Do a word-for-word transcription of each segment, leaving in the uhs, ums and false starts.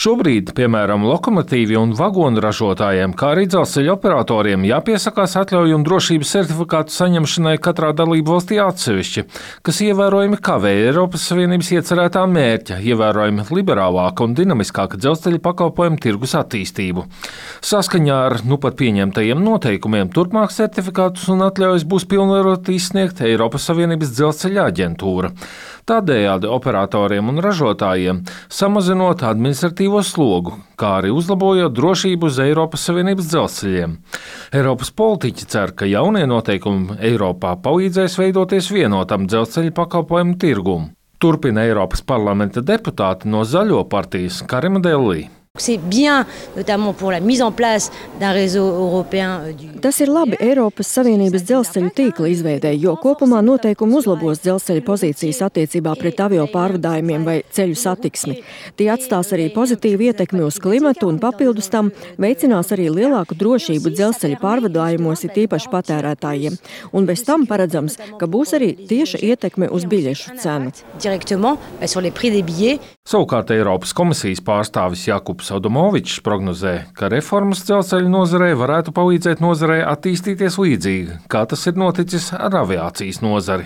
Šobrīd, piemēram, lokomotīvi un vagonu ražotājiem, kā arī dzelzceļa operatoriem, jāpiesakās atļauju un drošības sertifikātu saņemšanai katrā dalību valstī atsevišķi, kas ievērojami kavē Eiropas Savienības iecerētā mērķa, ievērojami liberālāka un dinamiskāka dzelzceļa pakalpojumu tirgus attīstību. Saskaņā ar nu pat pieņemtajiem noteikumiem turpmāk sertifikātus un atļaujas būs pilnvarot izsniegt Eiropas Savienības dzelzceļa aģentūra. Tādējādi operatoriem un ražotājiem samazinot administratīvo slogu, kā arī uzlabojot drošību uz Eiropas Savienības dzelzceļiem. Eiropas politiķi cer, ka jaunie noteikumi Eiropā palīdzēs veidoties vienotam dzelzceļa pakalpojumu tirgumu. Turpina Eiropas parlamenta deputāte no Zaļo partijas Karima Delli. C'est bien, notamment pour la mise en place d'un réseau européen du... Tas ir labi Eiropas Savienības dzelzceļu tīkla izveidei, jo kopumā noteikumi uzlabos dzelzceļa pozīcijas attiecībā pret avio pārvadājumiem vai ceļu satiksmi. Tie atstās arī pozitīvu ietekmi uz klimatu un papildus tam veicinās arī lielāku drošību dzelzceļa pārvadājumos, it īpaši patērētājiem. Un bez tam paredzams, ka būs arī tieša ietekme uz biļešu cenu. Savukārt Eiropas komisijas pārstāvis Jakubs Adamovičs prognozē, ka reformas dzelzceļa nozarei varētu palīdzēt nozarei attīstīties līdzīgi, kā tas ir noticis ar aviācijas nozari.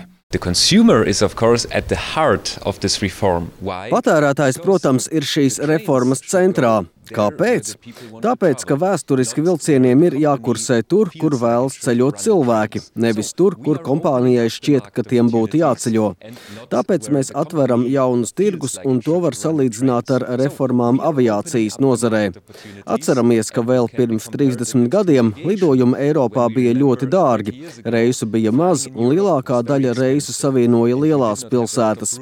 Patērētājs, protams, ir šīs reformas centrā. Kāpēc? Tāpēc, ka vēsturiski vilcieniem ir jākursē tur, kur vēlas ceļot cilvēki, nevis tur, kur kompānijai šķiet, ka tiem būtu jāceļo. Tāpēc mēs atveram jaunus tirgus, un to var salīdzināt ar reformām aviācijas nozarē. Atceramies, ka vēl pirms trīsdesmit gadiem lidojumi Eiropā bija ļoti dārgi, reisu bija maz, un lielākā daļa reisu savienoja lielās pilsētas.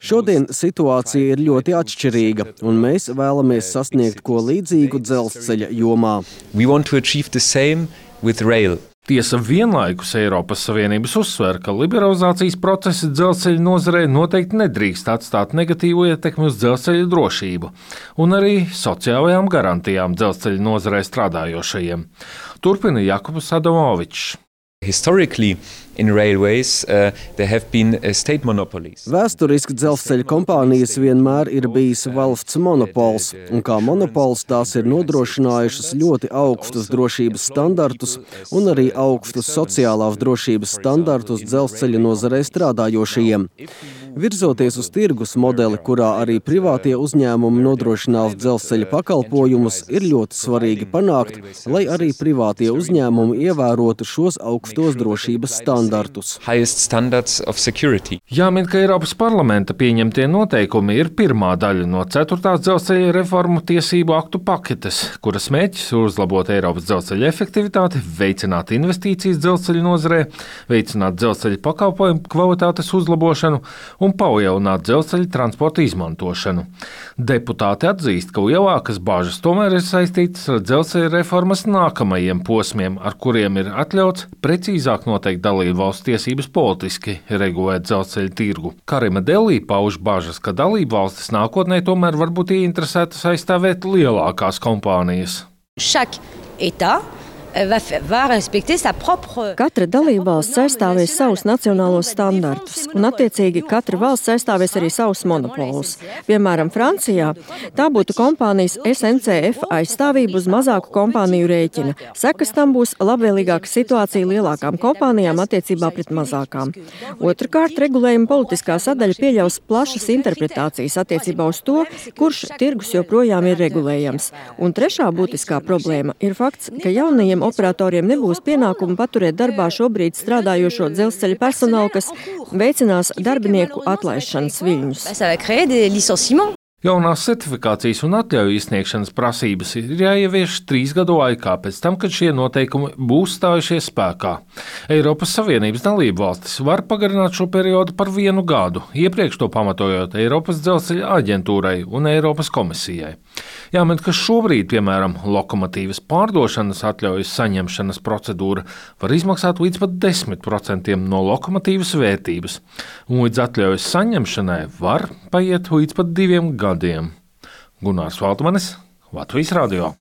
Šodien situācija ir ļoti atšķirīga, un mēs vēlamies sasniegt ko līdzīgu dzelzceļa jomā. Tiesa vienlaikus Eiropas Savienības uzsver, ka liberalizācijas procesi dzelzceļa nozarei noteikti nedrīkst atstāt negatīvu ietekmi uz dzelzceļa drošību un arī sociālajām garantijām dzelzceļa nozarei strādājošajiem. Turpina Jakubs Adamovičs. Historically, in railways, uh, there have been uh, state monopolies. Vēsturiski dzelzceļa kompānijas vienmēr ir bijis valsts monopols, un kā monopols tās ir nodrošinājušas ļoti augstus drošības standartus un arī augstus sociālās drošības standartus dzelzceļa nozarē strādājošajiem. Virzoties uz tirgus modeli, kurā arī privātie uzņēmumi nodrošinās dzelzceļa pakalpojumus, ir ļoti svarīgi panākt, lai arī privātie uzņēmumi ievērotu šos augstos drošības standartus. Jāmin, ka Eiropas parlamenta pieņemtie noteikumi ir pirmā daļa no ceturtās dzelzceļa reformu tiesību aktu paketes, kuras mērķis ir uzlabot Eiropas dzelzceļa efektivitāti, veicināt investīcijas dzelzceļa nozarē, veicināt dzelzceļa pakalpojumu kvalitātes uzlabošanu un palielināt dzelzceļa transporta izmantošanu. Deputāti atzīst, ka lielākas bāžas tomēr ir saistītas ar dzelzceļa reformas nākamajiem posmiem, ar kuriem ir atļauts precīzāk noteikt dalību valstu tiesības politiski regulēt dzelzceļa tirgu. Karima Delli pauž bažas, ka dalību valstis nākotnē tomēr var būt ieinteresētas aizstāvēt lielākās kompānijas. Chaque État Katra dalībvalsts aizstāvēs savus nacionālos standartus, un attiecīgi katra valsts aizstāvēs arī savus monopolus. Piemēram, Francijā tā būtu kompānijas S N C F aizstāvība uz mazāku kompāniju rēķina. Sekas tam būs labvēlīgāka situācija lielākām kompānijām attiecībā pret mazākām. Otrakārt, regulējuma politiskā sadaļa pieļaus plašas interpretācijas attiecībā uz to, kurš tirgus joprojām ir regulējams. Un trešā būtiskā problēma ir fakts, ka jaunajiem operatoriem nebūs pienākumu paturēt darbā šobrīd strādājošo dzelzceļa personālu, kas veicinās darbinieku atlaišanas viļņus. Jaunās certifikācijas un atļauju izsniegšanas prasības ir jāievieš trīs gadu laikā pēc tam, kad šie noteikumi būs stājušies spēkā. Eiropas Savienības dalību valstis var pagarināt šo periodu par vienu gadu, iepriekš to pamatojot Eiropas dzelzceļa aģentūrai un Eiropas komisijai. Jāmin, ka šobrīd, piemēram, lokomotīvas pārdošanas atļaujas saņemšanas procedūra var izmaksāt līdz pat desmit procentiem no lokomotīvas vērtības, un līdz atļaujas saņemšanai var paiet līdz pat diviem gadiem. Gunārs Valtmanis, Latvijas radio.